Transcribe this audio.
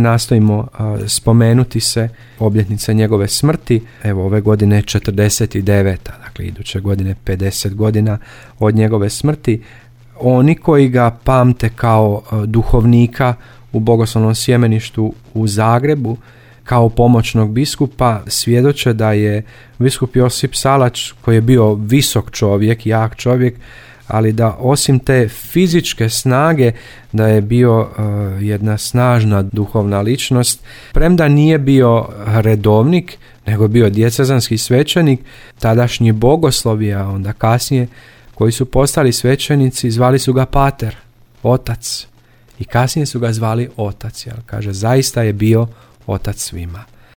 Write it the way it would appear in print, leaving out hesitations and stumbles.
nastojimo spomenuti se obljetnice njegove smrti. Evo, ove godine 49, dakle iduće godine 50 godina od njegove smrti. Oni koji ga pamte kao duhovnika u Bogoslovnom sjemeništu u Zagrebu, kao pomoćnog biskupa, svjedoče da je biskup Josip Salač, koji je bio visok čovjek, jak čovjek, ali da osim te fizičke snage, da je bio jedna snažna duhovna ličnost, premda nije bio redovnik, nego bio dijecezanski svećenik, tadašnji bogoslovi, a onda kasnije koji su postali svećenici, zvali su ga pater, otac, i kasnije su ga zvali otac, jer kaže, zaista je bio otac svima.